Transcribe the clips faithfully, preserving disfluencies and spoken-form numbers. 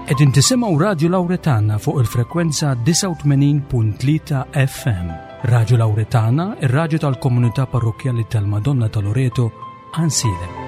Qegħdin tisimgħu Radju Lawretana fuq il-frekwenza disgħa u tmenin punt tlieta F M. Radju Lawretana, ir-radju tal-Komunità Parrokkjali tal-Madonna ta' Loreto, Għajnsielem.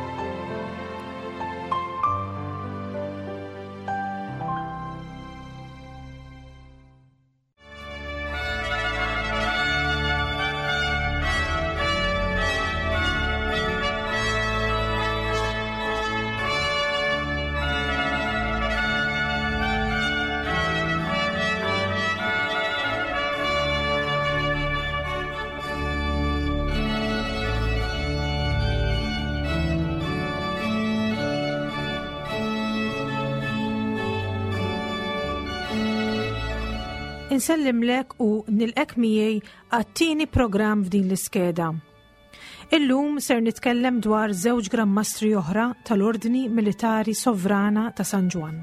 Insellimlek u nilqgħek miegħi għat-tieni programm f'din l-iskeda. Illum ser nitkellem dwar żewġ Gran Mastri oħra tal-Ordni Militari Sovrana ta' San Ġwann.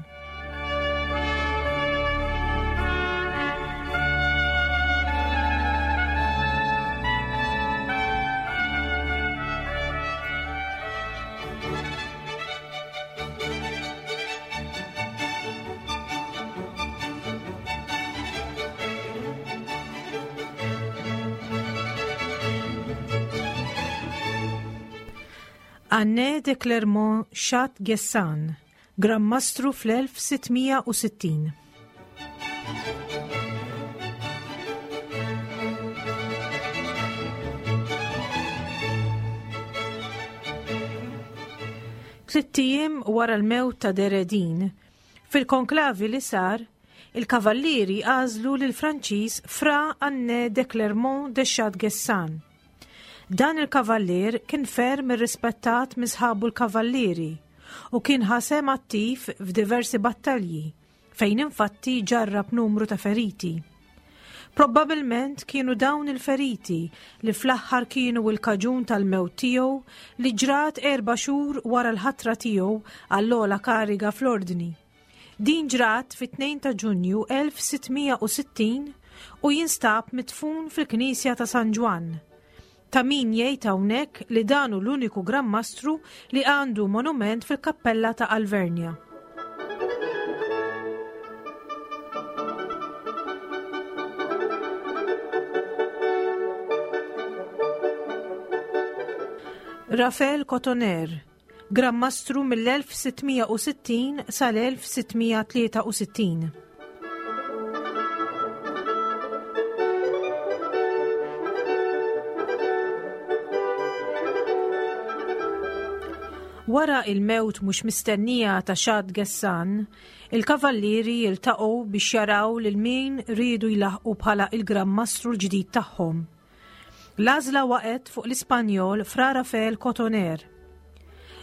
Anne de Clermont Chat Gessan, Gran Mastru fl-elf sitt mija u sittin. Tlitt ijiem wara l-mewt ta' De Redin, fil-konklavi li sar, il-kavallieri għażlu lil Franċiż Fra Anne de Clermont de Chat Gessan. Dan il-kavallier kien ferm irrispettat minn sħabu l-kavallieri u kien ħa sehem attiv f'diversi battalji fejn infatti ġarrab numru ta' feriti. Probabilment kienu dawn il-feriti li fl-aħħar kienu il-kaġun tal-mewt tiegħu li ġrat erba' xhur wara l-ħatra tiegħu għall-ogħla kariga fl-ordni. Din ġrat fit-tnejn ta' Ġunju elf sitt mija u sittin u jinstab midfun fil-Knisja ta' San Ġwann. Ta' min jgħid hawnhekk li dan hu l-uniku Gran Mastru li għandu monument fil-kappella ta' Alvernia. Rafael Cotoner, Gran Mastru mill-elf sitt mija u sittin sal-elf sitt mija tlieta u sittin. Wara il-mewt mhux mistennija ta' Xad Gessan, il-kavallieri jiltaqgħu biex jaraw lil min riedu jlaħqu bħala il-Gran Mastru l-ġdid tagħhom. L-għażla waqgħet fuq l-Ispanjol Fra Rafael Cotoner.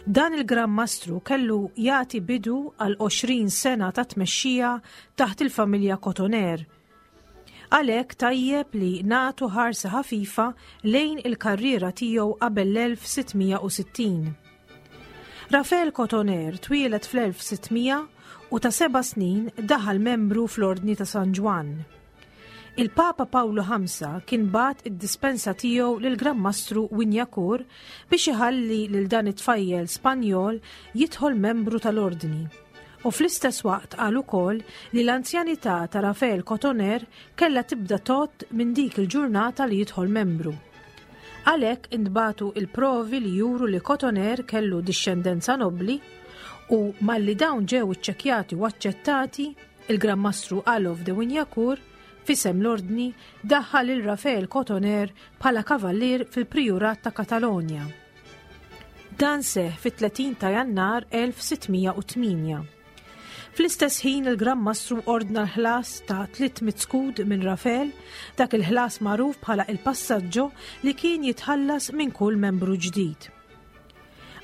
Dan il-Gran Mastru kellu jagħti bidu għal għoxrin sena ta' tmexxija taħt il-familja Cotoner. Għalhekk tajjeb li nagħtu ħarsa ħafifa lejn il-karriera tiegħu qabel l-elf sitt mija u sittin. Rafael Cotoner twieled fl-elf sitt mija u ta' seba' snin daħal membru fl-Ordni ta' San Ġwann. Il-Papa Pawlu ħamsa kien bagħat id-dispensa tiegħu lil Gran Mastru Wignacourt biex iħalli lil dan it-tfajjel Spanjol jidħol membru tal-Ordni. U fl-istess waqt qal ukoll li l-anzjanità ta' Rafael Cotoner kella tibda tgħodd minn dik il-ġurnata li jidħol membru. Għalhekk intbagħtu il-provi li juru li Cotoner kellu dixxendenza nobli u malli dawn ġew iċċekjati u aċċettati, il-Gran Mastru Alof de Wignacourt f'isem l-ordni daħħal il Rafael Cotoner bħala kavallier fil-Prijurat ta' Katalonja. Dan seħ fit-tletin ta' Jannar elf sitt mija u tmienja. Fl-istess ħin il-Gran Mastru ordna l-ħlas ta' tliet mitt skud minn Rafael, dak il-ħlas magħruf bħala il-passaggio li kien jitħallas minn kull membru ġdid.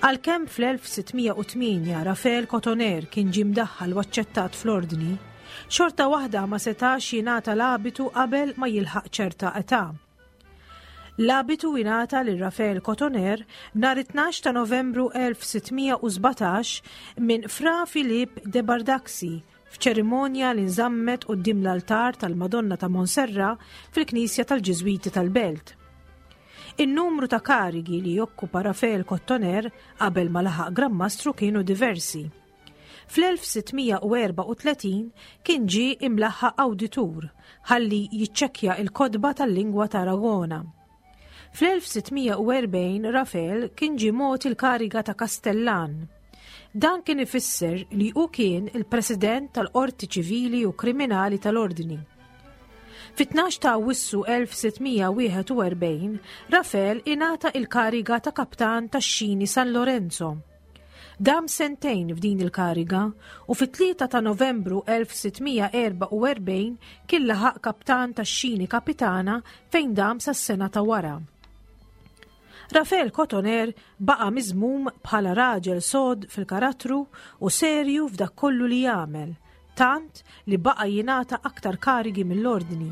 Għalkemm fl-elf sitt mija u tmienja Rafael Cotoner kien ġie mdaħħal u aċċettat fl-ordni, xorta waħda ma setax jingħata l-abitu qabel ma jilħaq ċerta età. L-abitu ingħata lil Rafael Cotoner nhar tnax ta' Novembru elf sitt mija u sbatax minn Fra Filip de Bardaxi f'ċerimonja li nżammet quddiem l-altar tal-Madonna ta' Monserra fil-Knisja tal-Ġiżwiti tal-Belt. In-numru ta' karigi li jokkupa Rafael Cotoner qabel ma laħaq Gran Mastru kienu diversi. Fl-elf sitt mija u erbgħa u tletin kien ġie imlaħħaq awditur ħalli jiċċekkja il-kotba tal-lingwa ta' Aragona. Fl-elf sitt mija u erbgħin Rafael kien ġie mogħti l-kariga ta' Kastellan. Dan kien ifisser li hu kien il-President tal-Qorti Ċivili u Kriminali tal-Ordni. Fit-tnax ta' Awwissu elf sitt mija wieħed u erbgħin, Rafael ingħata il-kariga ta' kaptan tax-xini San Lorenzo. Dam sentejn f'din il-kariga u fit-tlieta ta' Novembru elf sitt mija erbgħa u erbgħin kien laħaq kaptan tax-xini kapitana fejn dam sas-sena ta' wara. Rafael Cotoner baqa' miżmum bħala raġel sod fil-karattru u serju f'dak kollu li jagħmel, tant li baqa' jingħata aktar karigi mill-ordni.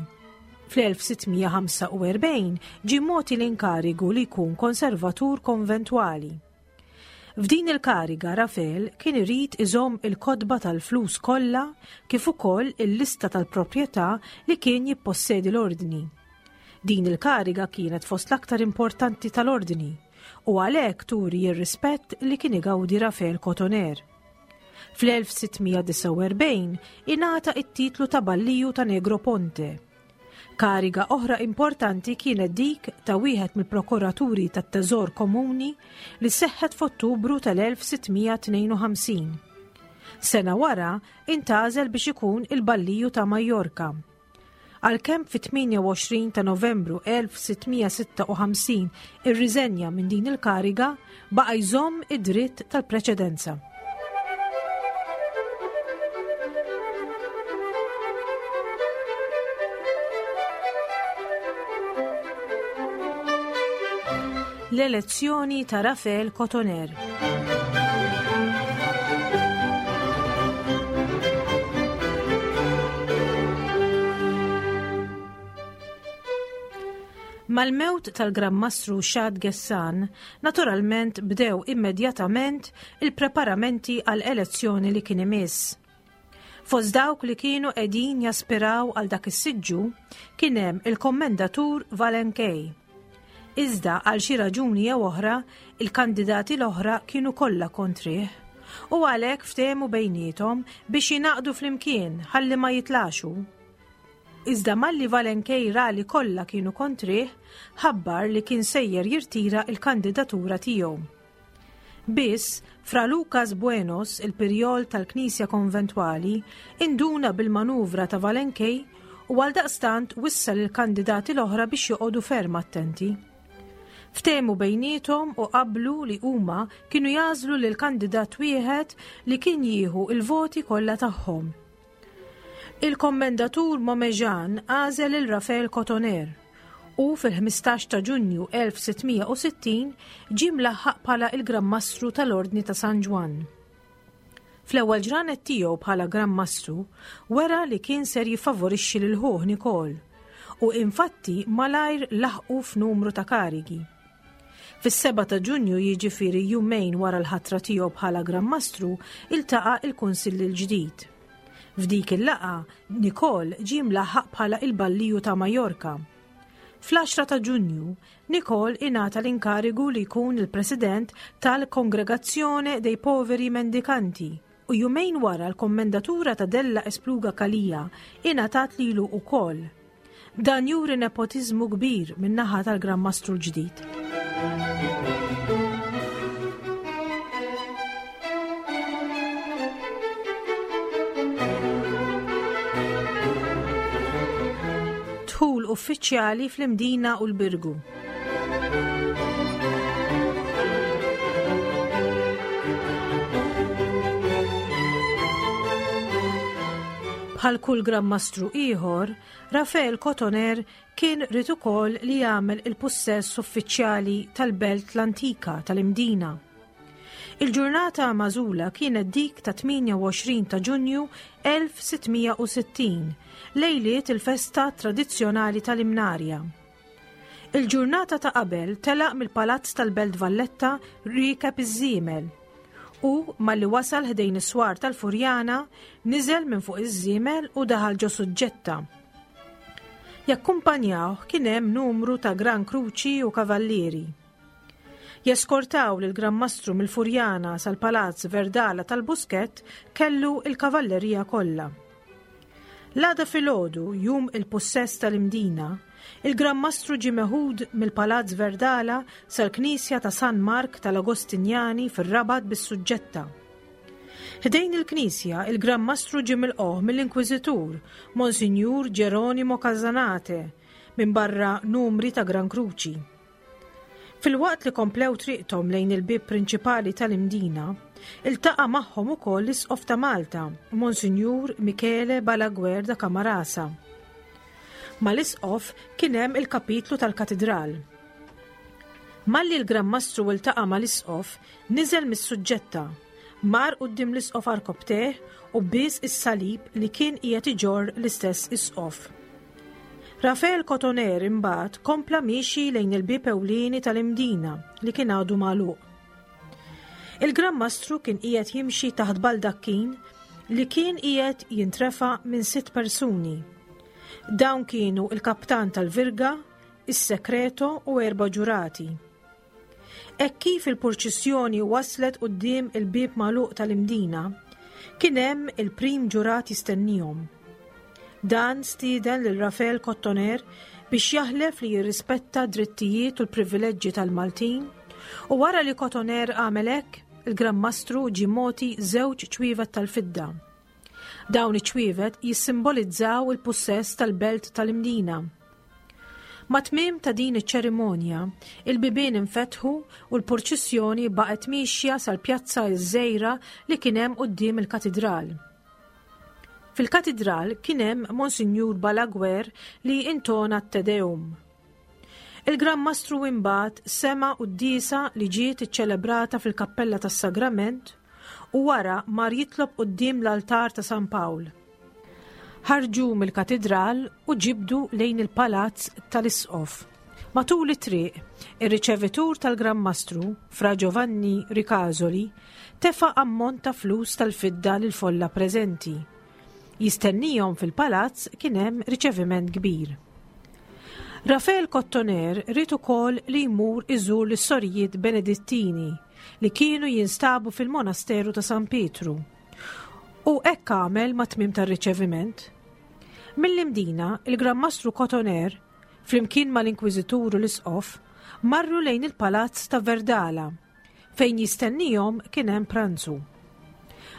Fl-elf sitt mija ħamsa u erbgħin ġie mogħti l-inkarigu li jkun konservatur konventwali. F'din il-kariga Rafael kien irid iżomm il-kotba tal-flus kollha kif ukoll il-lista tal-proprjetà li kien jippossedi l-ordni. Din il-kariga kienet fost l-aktar importanti tal-ordni u għalhekk turi r-rispett li kien igawdi Rafael Cotoner. Fl-elf sitt mija disgħa u erbgħin ingħata it-titlu ta' Balliju ta' Negroponte. Kariga oħra importanti kienet dik ta' wieħed mill-prokuraturi tat-Teżor Komuni li seħħet f'Ottubru tal-elf sitt mija tnejn u ħamsin. Sena wara intgħażel biex ikun il-Balliju ta' Majorka. Għalkemm fit-tmienja u għoxrin ta' Novembru elf sitt mija sitta u ħamsin irriżenja minn din il-kariga, baqa' jżomm id-dritt tal-preċedenza. L-elezzjoni ta' Rafael Cotoner. Mal-mewt tal-Gran Mastru Xad Gessan, naturalment bdew immedjatament il-preparamenti għal elezzjoni li kien imiss. Fost dawk li kienu qegħdin jaspiraw għal dak is-siġġu kien hemm il-Kommendatur Valenkej. Iżda għal xi raġuni jew oħra, il-kandidati l-oħra kienu kollha kontrih u għalhekk ftehmu bejniethom biex jingħaqdu flimkien ħalli ma jitlaxu. Iżda malli Valenkej ra li kollha kienu kontrih, ħabbar li kien sejjer jirtira il-kandidatura tiegħu. Biss, Fra Lucas Buenos, il-pirjol tal-Knisja Konventwali, induna bil-manuvra ta' Valenkej u għaldaqstant wissa lill-kandidati l-oħra biex joqogħdu ferm attenti. Ftehmu bejniethom u qablu li huma kienu jażlu lil kandidat wieħed li kien jieħu il-voti kollha tagħhom. Il-kommendatur Momejan għażel il Rafael Cotoner u fil-ħmistax ta' Ġunju elf sitt mija u sittin ġie mlaħħaq bħala il-Gran Mastru tal-Ordni ta' San Ġwann. Fl-ewwel ġranet tiegħu bħala Gran Mastru wera li kien ser jiffavorixxi lil ħuh Nikol u infatti malajr laħqu f'numru ta' karigi. Fis-seba ta' Ġunju, jiġifieri jumejn wara l-ħatra tiegħu bħala Gran Mastru, iltaqa' il-Kunsill il-ġdid. F'dik il-laqgħa, Nikol ġie mlaħħaq bħala il-Balliju ta' Majorka. Fl-għaxra ta' Ġunju, Nikol ingħata l-inkarigu li jkun il-President tal-Kongregazzjone dei Poveri Mendicanti u jumejn wara l-kommendatura ta' Della Espluga Calija ingħatat lilu wkoll. Dan juri nepotiżmu kbir min-naħa tal-Gran Mastru l-ġdid. Dħul uffiċjali fl-Imdina u l-Birgu. Bħal kull Gran Mastru ieħor, Rafael Cotoner kien rid ukoll li jagħmel il-pussess uffiċjali tal-Belt l-Antika tal-Imdina. Il-ġurnata magħżula kienet dik ta' tmienja u għoxrin ta' Ġunju elf sitt mija u sittin, lejliet il-festa tradizzjonali tal-Imnarja. Il-ġurnata ta' qabel telaq mill-Palazz tal-Belt Valletta riekeb iż-żiemel u malli wasal ħdejn is-swar tal-Furjana niżel minn fuq iż-żiemel u daħal ġo suġġetta. Jakkumpanjawh kien hemm numru ta' Gran Kruċi u Kavallieri. Jeskortaw lil Gran Mastru mill-Furjana sal-Palazz Verdala tal-Buskett kellu il-kavallerija kollha. L-għada filgħodu, jum il-pussess tal-Imdina, il-Gran Mastru ġie meħud mill-Palazz Verdala sal-Knisja ta' San Mark tal-Agostinjani fir-Rabat bis-Suġġetta. Ħdejn il-Knisja, il-Gran Mastru ġie milqugħ mill-Inkwiżitur, Monsinjur Geronimo Casanate, minn barra numri ta' Gran Kruċi. Filwaqt li komplew triqthom lejn il-bieb prinċipali tal-Imdina, iltaqa' magħhom ukoll l-Isqof ta' Malta, Monsinjur Michele Balaguer da Camarasa. Mal-Isqof kien hemm il-kapitlu tal-Katidral. Malli l-Gran Mastru iltaqa' mal-Isqof, niżel mis-suġġetta, mar quddiem l-Isqof għarkopptejh u bies is-salib li kien qiegħed iġorr l-istess Isqof. Rafael Cotoner imbagħad kompla miexi lejn il-bieb ewlieni tal-Imdina li kien għadu magħluq. Il-Gran Mastru kien qiegħed jimxi taħt baldakkin li kien qiegħed jintrefa' minn sitt persuni. Dawn kienu il-kaptan tal-Virga, is-Sekreto u erba' ġurati. Hekk kif il-purċissjoni waslet quddiem il-bieb magħluq tal-Imdina, kien hemm il-prim ġurat jistennihom. Dan stieden lil Rafael Cotoner biex jaħlef li jirrispetta drittijiet u l-privileġġi tal-Maltin, u wara li Cotoner għamel hekk, il-Gran Mastru ġie mogħti żewġ ċwievet tal-fidda. Dawn iċ-ċwievet jissimbolizzaw il-pussess tal-belt tal-Imdina. Mat-tmiem ta' din iċ-ċerimonja, il-bibien infetħu u l-purċissjoni baqgħet mixja sal-pjazza ż-żgħira li kien hemm quddiem il-katidral. Fil-katidral kien hemm Monsinjur Balaguer li intona t-Te Deum. Il-Gran Mastru imbagħad sema' quddiesa li ġiet iċċelebrata fil-Kappella tas-Sagrament u wara mar jitlob quddiem l-altar ta' San Pawl. Ħarġu mill-katidral u ġibdu lejn il-palazz tal-Isqof. Matul it-triq, ir-riċevitur tal-Gran Mastru, Fra Giovanni Ricasoli, tefa' ammont ta' flus tal-fidda lil folla preżenti. Jistennihom fil-palazz kien hemm riċeviment kbir. Rafael Cotoner ried ukoll li jmur iżur lis-sorijiet Benedittini li kienu jinstabu fil-monasteru ta' San Pietru. U hekk għamel mat-tmiem tar-riċeviment. Mill-Imdina, il-Gran Mastru Cotoner, flimkien mal-Inkwiżitur u l-Isqof, marru lejn il-palazz ta' Verdala, fejn jistennihom kien hemm pranzu.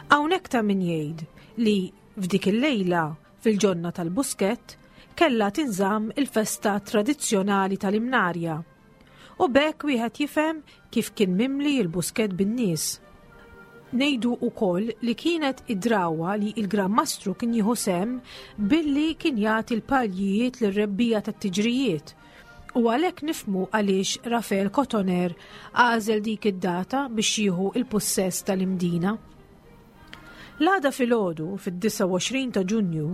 Hawnhekk ta' min jgħid li f'dik il-lejla fil-ġonna tal-Buskett kellha tinżamm il-festa tradizzjonali tal-Imnarja. U b'hekk wieħed jifhem kif kien mimli l-Buskett bin-nies. Ngħidu wkoll li kienet id-drawa li il-Gran Mastru kien jieħu sehem billi kien jagħti l-paljijiet lir-rebbija tat-tiġrijiet. U għalhekk nifhmu għaliex Rafael Cotoner għażel dik id-data biex jieħu il-pussess tal-Imdina. L-għada filgħodu, fid-disgħa u għoxrin ta' Ġunju,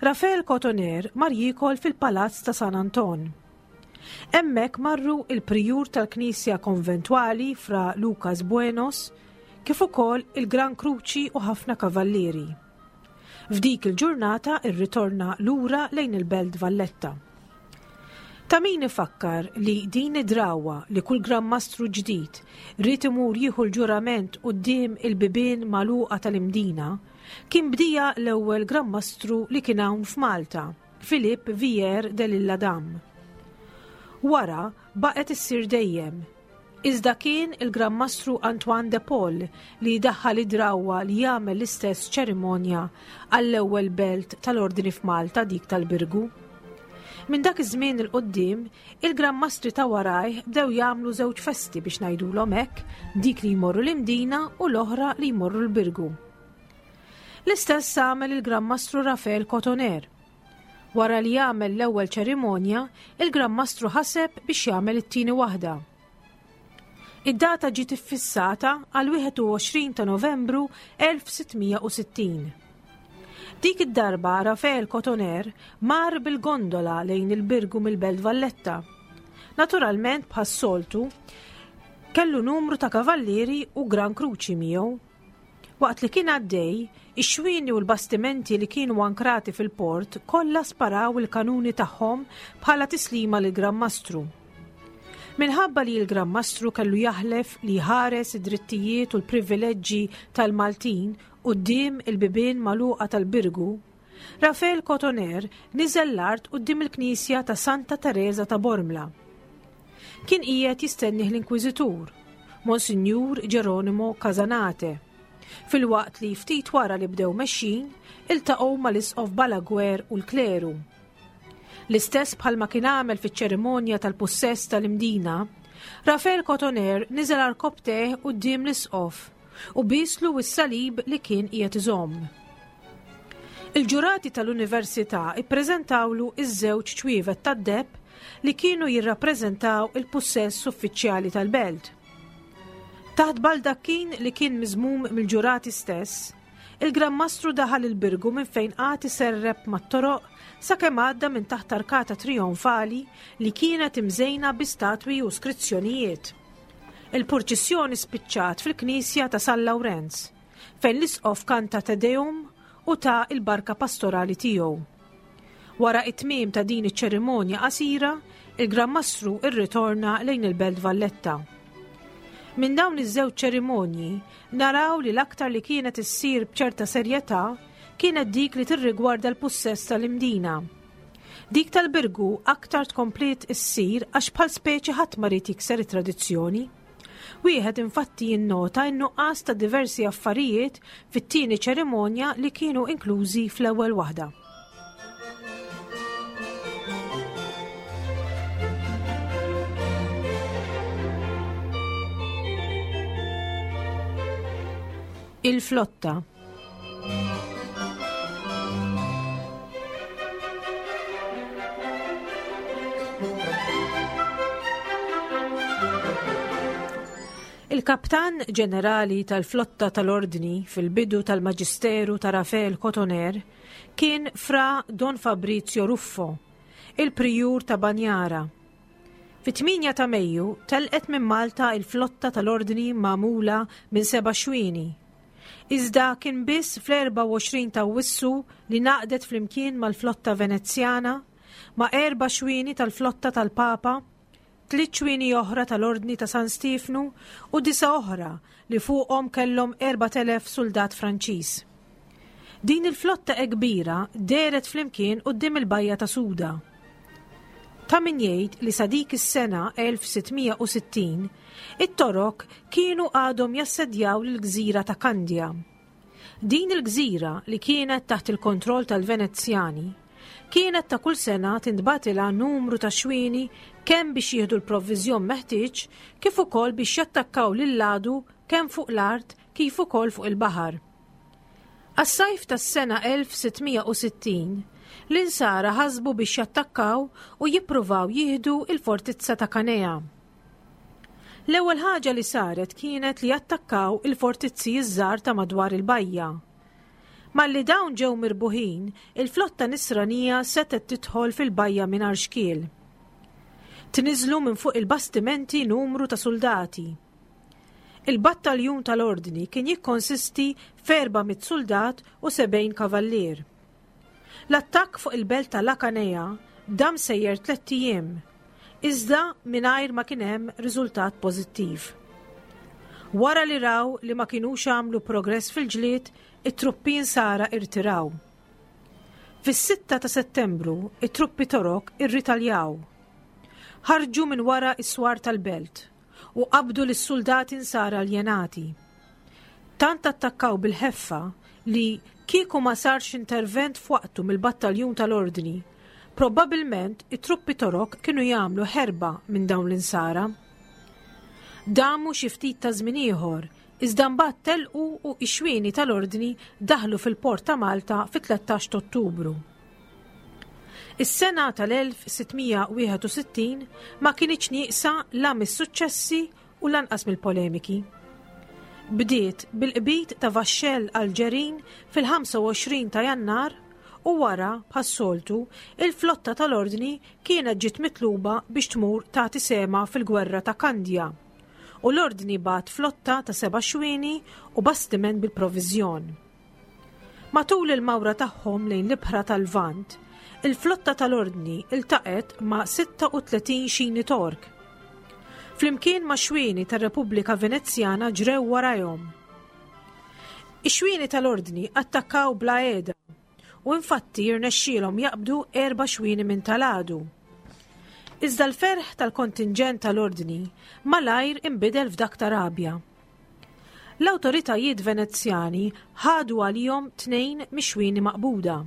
Rafael Cotoner mar jiekol fil-Palazz ta' San Anton. Hemmhekk marru il-prijur tal-Knisja Konventwali Fra Lucas Buenos, kif ukoll il-Gran Kruċi u ħafna kavallieri. F'dik il-ġurnata irritorna lura lejn il-Belt Valletta. Ta' min ifakkar li din id-drawa li kull Gran Mastru ġdid ried imur jieħu l-ġurament quddiem il-bibien magħluqa tal-Imdina kien bdija l-ewwel Gran Mastru li kien hawn f'Malta, Filip Vier de l'Isle-Adam. Wara baqgħet issir dejjem. Iżda kien il-Gran Mastru Antoine de Paul li daħħal id-drawa li jagħmel l-istess ċerimonja għall-ewwel belt tal-Ordni f'Malta, dik tal-Birgu. Minn dak iż-żmien il quddiem, il-Gran Mastri ta' warajh bdew jagħmlu żewġ festi biex ngħidulhom hekk, dik li jmorru l-Imdina u l-oħra li jmorru l-Birgu. L-istess għamel il-Gran Mastru Rafael Cotoner. Wara li għamel l-ewwel ċerimonja, il-Gran Mastru ħaseb biex jagħmel it-tieni waħda. Id-data ġiet iffissata għal wieħed u għoxrin ta' Novembru elf sittmija u sittin. Dik id-darba Rafael Cotoner mar bil-gondola lejn il-Birgu mill-Belt Valletta. Naturalment bħas-soltu kellu numru ta' kavallieri u Gran Kruċi miegħu. Waqt li kien għaddej, ix-xwieni u l-bastimenti li kienu ankrati fil-port kollha sparaw il-kanuni tagħhom bħala tislima lil Gran Mastru. Minħabba li l-Gran Mastru kellu jaħlef li jħares id-drittijiet u l-privileġġi tal-Maltin quddiem il-bibien magħluqa tal-Birgu, Rafael Cotoner niżel l-art quddiem il-Knisja ta' Santa Teresa ta' Bormla. Kien qiegħed jistennih l-Inkwiżitur, Monsinjur Geronimo Casanate, filwaqt li ftit wara li bdew mexjin iltaqgħu mal-Isqof Balaguer u l-kleru. L-istess bħalma kien għamel fiċ-ċerimonja tal-pussess tal-Imdina, Rafael Cotoner niżel għarkopptejh quddiem l-Isqof u bieslu s-salib li kien qiegħed iżomm. Il-ġurati tal-Università ippreżentawlu iż-żewġ ċwievet tad-deheb li kienu jirrappreżentaw il-pussess uffiċjali tal-belt. Taħt baldakkin li kien miżmum mill-ġurati stess, il-Gran Mastru daħal il-Birgu minn fejn qagħad iserrep mat-toroq sakemm għadda minn taħt arkata trionfali li kienet imżejna bi statwi u skrizzjonijiet. Il-purċissjoni spiċċat fil-Knisja ta' San Lawrenz, fejn l-Isqof kanta Te Deum u ta il-barka pastorali tiegħu. Wara it-tmiem ta' din iċ-ċerimonja qasira, il-Gran Mastru irritorna lejn il-Belt Valletta. Minn dawn iż-żewġ ċerimonji naraw li l-aktar li kienet issir b'ċerta serjetà kienet dik li tirrigwarda l-pussess tal-Imdina. Dik tal-Birgu aktar tkompliet issir għax bħal speċi ħadd ma ried jikser it-tradizzjoni. Wieħed infatti jinnota n-nuqqas ta' diversi affarijiet fit-tieni ċerimonja li kienu inklużi fl-ewwel waħda. Il-flotta. Il-kaptan ġenerali tal-flotta tal-Ordni fil-bidu tal-Maġisteru ta' Rafael Cotoner kien Fra Don Fabrizio Ruffo, il-prijur ta' Banjara. Fit-tmienja ta' Mejju telqet minn Malta il-flotta tal-Ordni magħmula minn seba' xwieni. Iżda kien biss fl-erbgħa u għoxrin ta' Awwissu li naqdet flimkien mal-flotta Venezjana, ma' erba' xwieni tal-flotta tal-Papa, tliet xwieni oħra tal-Ordni ta' San Stefnu u disa oħra li fuqhom kellhom erbat elef soldat Franċiż. Din il-flotta e kbira dehret flimkien quddiem il-bajja ta' Suda. Ta' min jgħid li sa dik is-sena elf sittmija u sittin, it-Torok kienu għadhom jassedjaw l-gżira ta' Kandja. Din il-gżira li kienet taħt il-kontroll tal-Venezjani kienet ta' kull sena tintbatilha numru ta' xwieni kemm biex jieħdu l-provviżjon meħtieġ kif ukoll biex jattakkaw lil-ladu kemm fuq l-art kif ukoll fuq il-baħar. Għas-sajf tas-sena elf sittmija u sittin, l-insara ħasbu biex jattakkaw u jippruvaw jieħdu il-fortizza ta' Kanea. L-ewwel ħaġa li saret kienet li jattakkaw il-fortizzi iż-żgħar ta' madwar il-bajja. Malli dawn ġew mirbuħin, il-flotta nisranija setgħet tidħol fil-bajja mingħajr xkiel. Tniżlu minn fuq il-bastimenti numru ta' soldati. Il-battaljun tal-Ordni kien jikkonsisti f'erba' mitt soldat u sebgħin kavallier. L-attakk fuq il-belt ta' Lakanea dam sejjer tlett ijiem, iżda mingħajr ma kien hemm riżultat pożittiv. Wara li raw li ma kinux għamlu progress fil-ġlied, it-truppi insara irtiraw. Fis-sitta ta' Settembru, it-truppi Torok irritaljaw. Ħarġu minn wara is-swar tal-belt u qabdu lis-soldati insara aljenati. Tant attakkaw bil-ħeffa li kieku ma sarx intervent f'waqtu mill-battaljun tal-Ordni, probabbilment it-truppi Torok kienu jagħmlu ħerba minn dawn l-insara. Damu xi ftit ta' żmien ieħor, iżda mbagħad telqu u x-xwieni tal-Ordni daħlu fil-port ta' Malta fit-tlettax ta' Ottubru. Is-sena tal-elf sittmija wieħed u sittin ma kinitx nieqsa la mis-suċċessi u lanqas mill-polemiki. Bdiet bil-qbid ta' vaxxell Alġerin fil-ħamsa u għoxrin ta' Jannar u wara, bħas-soltu, il-flotta tal-Ordni kienet ġiet mitluba biex tmur tagħti sema fil-gwerra ta' Kandja. U l-Ordni bagħat flotta ta' seba' xwieni u bastiment bil-proviżjon. Matul il-mawra tagħhom lejn l-ibħra tal-Lvant, il-flotta tal-Ordni iltaqet ma' sitta u tletin xini Tork. Flimkien ma' xwieni tar-Repubblika Venezjana ġrew warajhom. Ix-xwieni tal-Ordni attakkaw bla heda u infatti jirnexxielhom jaqbdu erba' xwieni minn tal-għadu. Iżda l-ferħ tal-kontinġent tal-Ordni malajr inbidel f'dak ta' rabja. L-awtoritajiet Venezjani ħadu għalihom tnejn mix-xwieni maqbuda.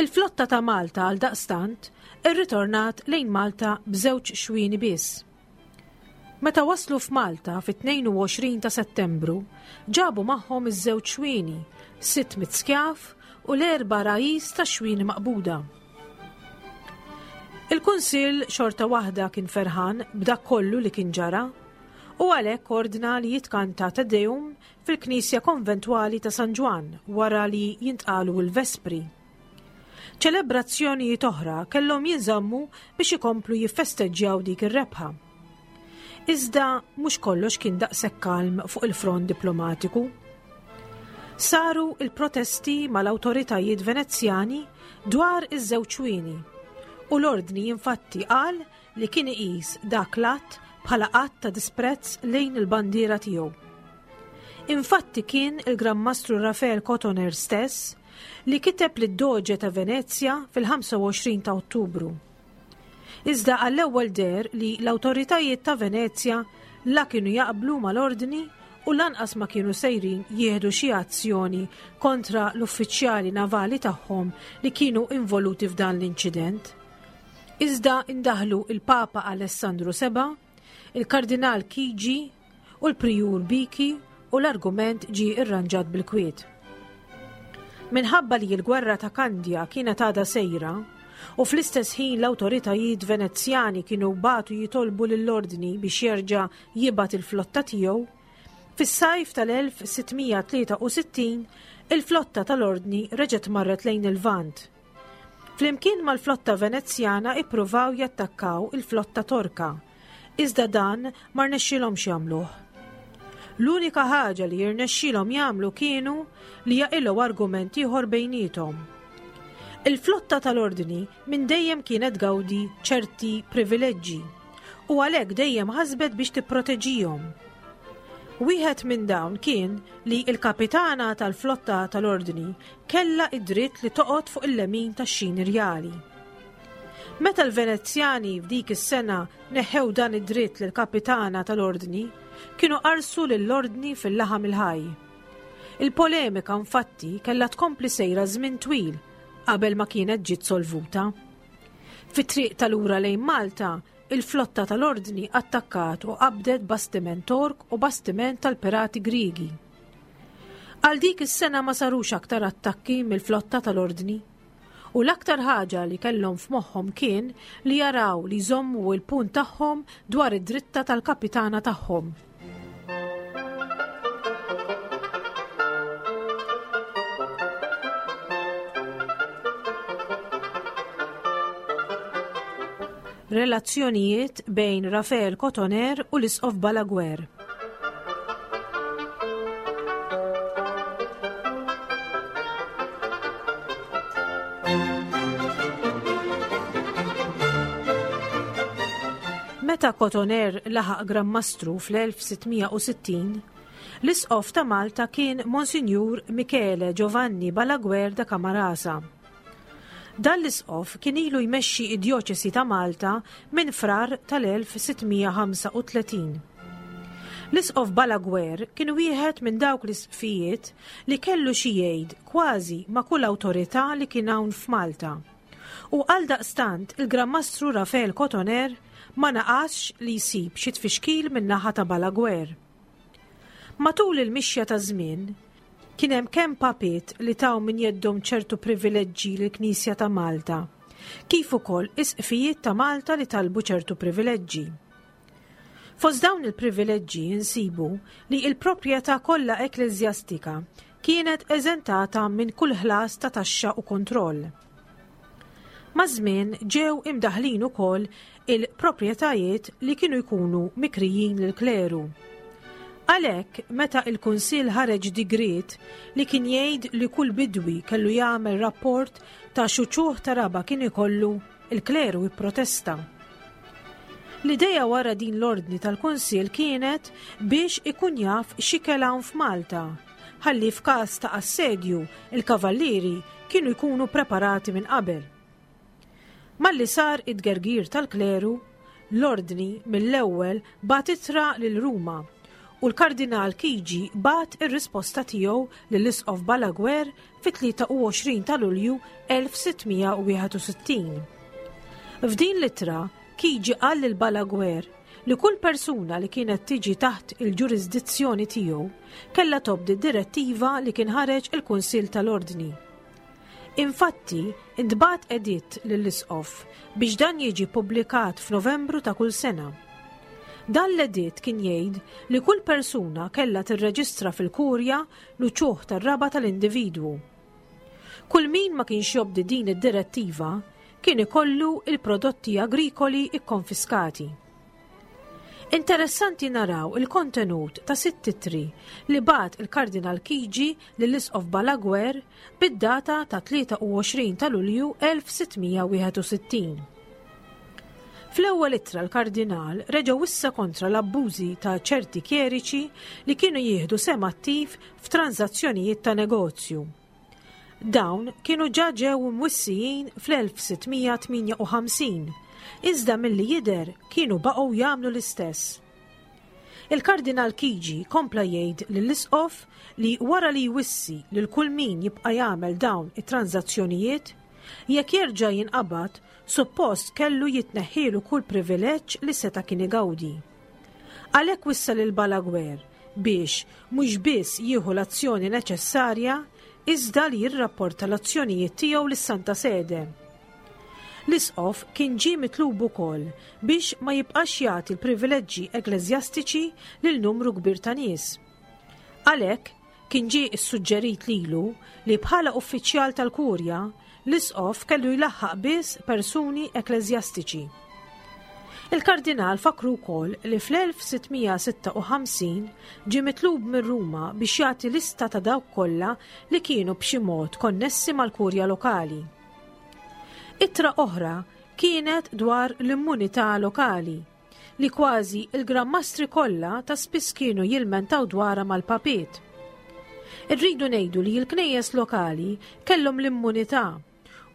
Il-flotta ta' Malta għal daqstant irritornat lejn Malta b'żewġ xwieni biss. Meta waslu f'Malta fit-tnejn u għoxrin ta' Settembru, ġabu magħhom iż-żewġ xwieni, sitt mitt skjaf u l-erba' rajis ta' xwieni maqbuda. Il-Kunsill xorta waħda kien ferħan b'dak kollu li kien ġara u għalhekk ordna li jitkanta Te Deum fil-Knisja Konventwali ta' San Ġwann wara li jintqalu l-Vespri. Ċelebrazzjonijiet oħra kellhom jinżammu biex ikomplu jiffesteġġjaw dik ir-rebħa. Iżda mhux kollox kien daqshekk kalm fuq il-front diplomatiku. Saru il-protesti mal-awtoritajiet Venezjani dwar iż-żewġ xwieni u l-Ordni infatti qal li kien iqis dak l-att bħala att ta' disprezz lejn il-bandiera tiegħu. Infatti kien il-Gran Mastru Rafael Cotoner stess li kiteb lid-Doge ta' Venezja fil-ħamsa u għoxrin ta' Ottubru. Iżda għall-ewwel deher li l-awtoritajiet ta' Venezja la kienu jaqblu mal-Ordni u lanqas ma kienu sejrin jieħdu xi azzjoni kontra l-uffiċjali navali tagħhom li kienu involuti f'dan l-inċident. Iżda indaħlu il-Papa Alessandru seba', il-Kardinal Chigi u l-Prijur Biki u l-argument ġie irranġat bil-kwiet. Minħabba li l-gwerra ta' Kandja kienet għadha sejra u fl-istess ħin l-awtoritajiet Venezjani kienu batu jitolbu lill-Ordni biex jerġa' jibgħat il-flotta tiegħu, fis-sajf tal-elf sittmija tlieta u sittin il-flotta tal-Ordni reġgħet marret lejn il-Lvant. Flimkien mal-flotta Venezjana ippruvaw jattakkaw il-flotta Torka, iżda dan ma rnexxielhomx jagħmluh. L-unika ħaġa li jirnexxielhom jagħmlu kienu li jaqilgħu argument ieħor bejniethom. Il-flotta tal-Ordni minn dejjem kienet gawdi ċerti privileġġi u għalhekk dejjem ħasbet biex tipproteġihom. Wieħed minn dawn kien li l-kapitana tal-flotta tal-Ordni kellha id-dritt li toqgħod fuq il-lemin tax-xini rjali. Meta l-Venezjani f'dik is-sena neħew dan id-dritt lill-kapitana tal-Ordni, kienu qarsu lill-Ordni fil-laħam il-ħaj. Il-polemika infatti kellha tkompli sejra żmien twil qabel ma kienet ġiet solvuta. Fit-triq tal-ura lejn Malta, il-flotta tal-Ordni attakkat u qabdet bastiment Tork u bastiment tal-Pirati Griegi. Għal dik is-sena ma sarux aktar attakki mill-flotta tal-Ordni. U l-aktar ħaġa li kellhom f'moħħhom kien li jaraw li jżommu l-punt tagħhom dwar id-dritta tal-kapitana tagħhom. Relazzjonijiet bejn Rafael Cotoner u l-Isqof Balaguer. Meta Cotoner laħaq Gran Mastru fl-elf sittmija u sittin, l-Isqof ta' Malta kien Monsinjur Michele Giovanni Balaguer da Camarasa. Dan l-Isqof kien ilu jmexxi id-djoċesi ta' Malta minn frar tal-elf sittmija ħamsa u tletin. L-Isqof Balaguer kien wieħed minn dawk l-isqfijiet li kellu xi jgħid kważi ma' kull awtorità li kien hawn f'Malta. U għal daqstant il-Gran Mastru Rafael Cotoner ma naqasx li jsib xi tfixkil min-naħa ta' Balaguer. Matul il-mixja ta' żmien, kien hemm kemm papiet li taw minn jeddhom ċertu privileġġi lill-Knisja ta' Malta, kif ukoll isqfijiet ta' Malta li talbu ċertu privileġġi. Fost dawn il-privileġġi insibu li l-proprjetà kollha ekkleżjastika kienet eżentata minn kull ħlas ta' taxxa u kontroll. Maż-żmien ġew imdaħlin ukoll il-proprjetajiet li kienu jkunu mikrijin lill-kleru. Għalhekk, meta il-Kunsill ħareġ digriet li kien jgħid li kull bidwi kellu jagħmel rapport ta' xuċuħ ta' raba kien ikollu, il-kleru ipprotesta. L-ideja wara din l-ordni tal-Kunsill kienet biex ikun jaf x'ikel hawn f'Malta, ħalli f'każ ta' assedju il-kavallieri kienu jkunu preparati minn qabel. Malli sar id-gergir tal-kleru, l-ordni mill-ewwel bagħat ittra lil Ruma u l-Kardinal Chigi bagħat ir-risposta tiegħu lill-Isqof Balaguer fit-tlieta u għoxrin ta' Lulju elf sittmija u wieħed u sittin. F'din l-ittra, Chigi qal lil Balaguer li kull persuna li kienet tiġi taħt il-ġurisdizzjoni tiegħu kellha tobdi direttiva li kien ħareġ il-Kunsill tal-Ordni. Infatti, intbagħat editt lill-Isqof biex dan jiġi ppubblikat f'Novembru ta' kull sena. Dan l-editt kien jgħid li kull persuna kellha tirreġistra fil-kurja l-uċuħ tar-raba tal-individwu. Kull min ma kienx jobdi din id-direttiva kien ikollu il-prodotti agrikoli ikkonfiskati. Interessanti naraw il-kontenut ta' sitt ittri li bagħat il-Kardinal Chigi lill-Isqof Balaguer bid-data ta' tlieta u għoxrin ta' Lulju elf sittmija wieħed u sittin. Fl-ewwel ittra l-Kardinal reġa' wissa kontra l-abbużi ta' ċerti kjeriċi li kienu jieħdu sehem attiv f'transazzjonijiet ta' negozju. Dawn kienu ġa ġew mwissijin fl-elf sittmija tmienja u ħamsin, iżda milli jidher kienu baqgħu jagħmlu l-istess. Il-Kardinal Chigi kompla jgħid lill-Isqof li wara li jwissi lil kull min jibqa' jagħmel dawn it-transazzjonijiet, jekk jerġa' jinqabad, suppost kellu jitneħħielu kull privileġġ li seta' kien igawdi. Għalhekk wissa lil Balaguer biex mhux biss jieħu l-azzjoni neċessarja, iżda li jirrapporta l-azzjonijiet tiegħu lis-Santa Sede. L-Isqof kien ġie mitlub ukoll biex ma jibqax jagħti l-privileġġi ekleżjastiċi lil numru kbir ta' nies. Għalhekk kien ġie ssuġġerit lilu li bħala uffiċjal tal-kurja l-Isqof kellu jlaħħaq biss persuni ekleżjastiċi. Il-Kardinal fakru wkoll li fl-elf sittmija sitta u ħamsin ġie mitlub minn Ruma biex jagħti lista ta' dawk kollha li kienu b'xi mod konnessi mal-kurja lokali. Ittra oħra kienet dwar l-immunità lokali, li kważi il-Gran Mastri kollha ta' spiss kienu jilmentaw dwarha mal-papiet. Irridu ngħidu li l-knejjes lokali kellhom l-immunità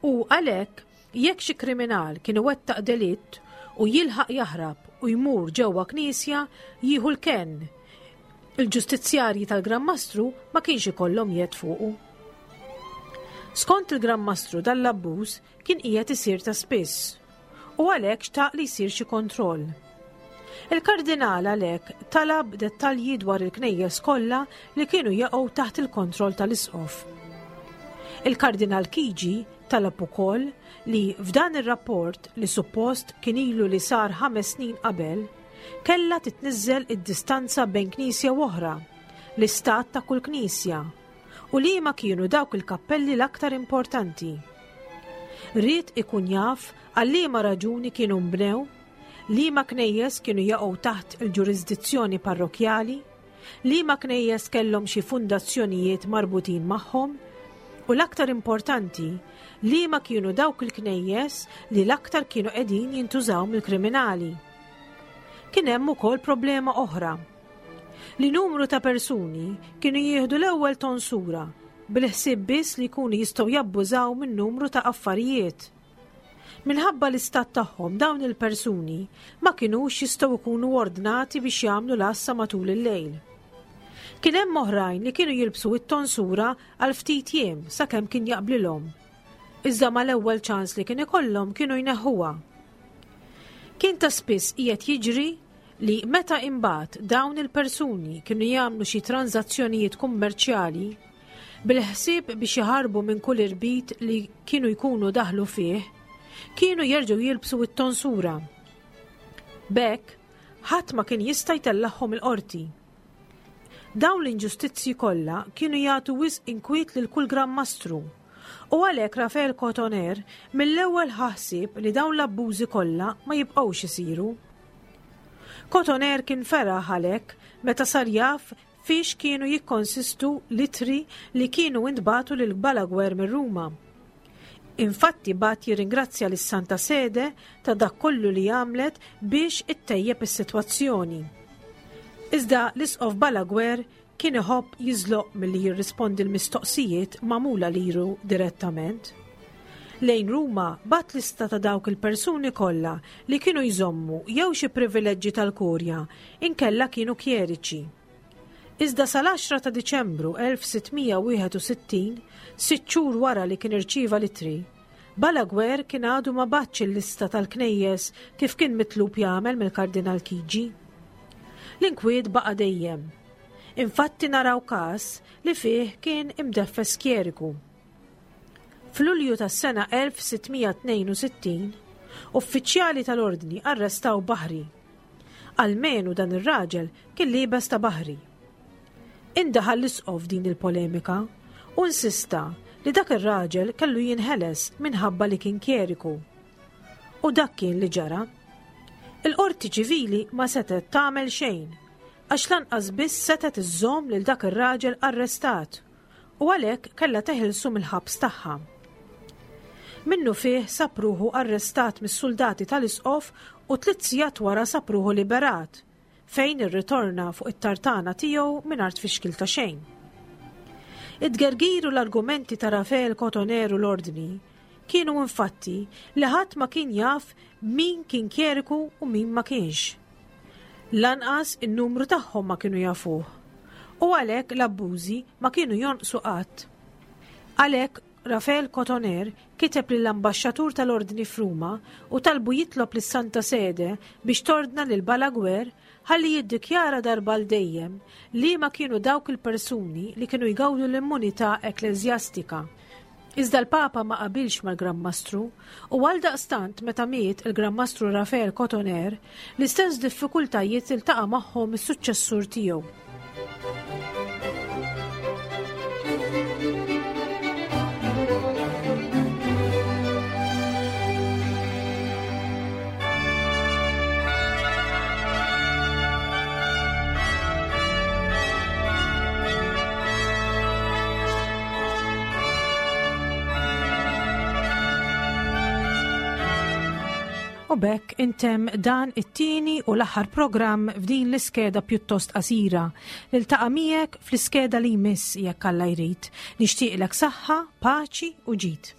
u għalhekk jekk xi kriminal kien iwettaq delitt u jilħaq jaħrab u jmur ġewwa knisja jieħu l-kenn. Il-ġustizzjarji tal-Gran Mastru ma kienx ikollhom jed fuqu. Skont il-Gran Mastru dan l-abbuż kien qiegħed isir ta' spiss u għalhekk xtaq li jsir xi kontroll. Il-Kardinal għalhekk talab dettalji dwar il-knejjes kollha li kienu jaqgħu taħt il-kontroll tal-Isqof. Il-Kardinal Chigi talab ukoll li f'dan ir-rapport li suppost kien ilu li sar ħames snin qabel, kellha titniżżel id-distanza bejn knisja u oħra, l-istat ta' kull knisja, u li ma kienu dawk il-kappelli l-aktar importanti. Ried ikun jaf għal liema raġuni kienu nbnew, liema knejjes kienu jaqgħu taħt il-ġurisdizzjoni parrokjali, liema knejjes kellhom xi fundazzjonijiet marbutin magħhom, u l-aktar importanti, liema kienu dawk il-knejjes li l-aktar kienu qegħdin jintużaw mill-kriminali. Kien hemm ukoll problema oħra, li numru ta' persuni kienu jieħdu l-ewwel tonsura bil-ħsieb biss li jkunu jistgħu jabbużaw minn numru ta' affarijiet. Minħabba l-istat tagħhom dawn il-persuni ma kinux jistgħu jkunu ordnati biex jagħmlu l-għassa matul il-lejl. Kien hemm oħrajn li kienu jilbsu it-tonsura għal ftit jiem sakemm kien jaqblilhom. Iżda mal-ewwel ċans li kien ikollhom kienu jneħħuha. Kien ta' spiss qiegħed jiġri li meta imbagħad dawn il-persuni kienu jagħmlu xi tranzazzjonijiet kummerċjali bil-ħsieb biex jaħarbu minn kull irbit li kienu jkunu daħlu fih, kienu jerġgħu jilbsu it-tonsura. B'hekk, ħadd ma kien jista' jtellagħhom il-qorti. Dawn l-inġustizzji kollha kienu jagħtu wisq inkwiet lil kull Gran Mastru, u għalhekk Rafael Cotoner mill-ewwel ħassib li dawn l-abbużi kollha ma jibqgħux isiru. Cotoner kien feraħ għalhekk meta sar jaf fiex kienu jikkonsistu l-ittri li kienu intbagħtu lil Balaguer minn Ruma. Infatti bagħat jirringrazzja lis-Santa Sede ta' dak kollu li għamlet biex ittejjeb is-sitwazzjoni. Iżda l-Isqof Balaguer kien iħobb jiżloq milli jirrispondi l-mistoqsijiet magħmula lilu direttament. Lejn Ruma bagħat lista ta' dawk il-persuni kollha li kienu jżommu jew xi privileġġi tal-kurja inkella kienu kjeriċi. Iżda sal-għaxra ta' Diċembru elf sitt mija wieħed u sittin, sitt xhur wara li kien irċieva l-ittri, Balaguer kien għadu ma bagħatx il-lista tal-knejjes kif kien mitlub jagħmel mill-Kardinal Chigi. L-inkwiet baqa' dejjem. Infatti naraw każ li fih kien imdeffes kjeriku. F'Lulju tas-sena elf sitt mija tnejn u sittin, uffiċjali tal-ordni arrestaw baħri. Almenu dan ir-raġel kien liebes ta' baħri. Indaħal l-isqof din il-polemika u insista li dak ir-raġel kellu jinħeles minħabba li kien kjeriku. U dak kien li ġara. Il-qorti ċivili ma setet tagħmel xejn għax lanqas biss setet iżżomm lil dak ir-raġel arrestat u għalhekk kellha teħilsu mill-ħabs tagħha. Minnu fih sab ruħu arrestat mis-soldati tal-isqof u tliet sigħat wara sab ruħu liberat, fejn irritorna fuq it-tartana tiegħu mingħajr tfixkil ta' xejn. Id-gergir u l-argumenti ta' Rafael Cotoner u l-ordni kienu infatti li ħadd ma kien jaf min kien kjeriku u min ma kienx. Lanqas in-numru tagħhom ma kienu jafuh u għalhekk l-abbużi ma kienu jonqsu qatt. Għalhekk Rafael Cotoner kiteb lill-ambaxxatur tal-ordni f'Ruma u talbu jitlob lis-Santa Sede biex tordna lil Balaguer ħalli jiddikjara darba għal dejjem li ma kienu dawk il-persuni li kienu jgawdu l-immunità ekklesjastika. Iżda l-Papa ma qabilx mal-Gran Mastru u għal daqstant meta miet il-Gran Mastru Rafael Cotoner, l-istess diffikultajiet iltaqa' magħhom is-suċċessur tiegħu. U b'hekk intemm dan it-tieni u l-aħħar programm f'din l-iskeda pjuttost qasira. Niltaqa' miegħek fl-iskeda li jmiss jekk Alla jrid. Nixtieqlek saħħa, paċi u ġid.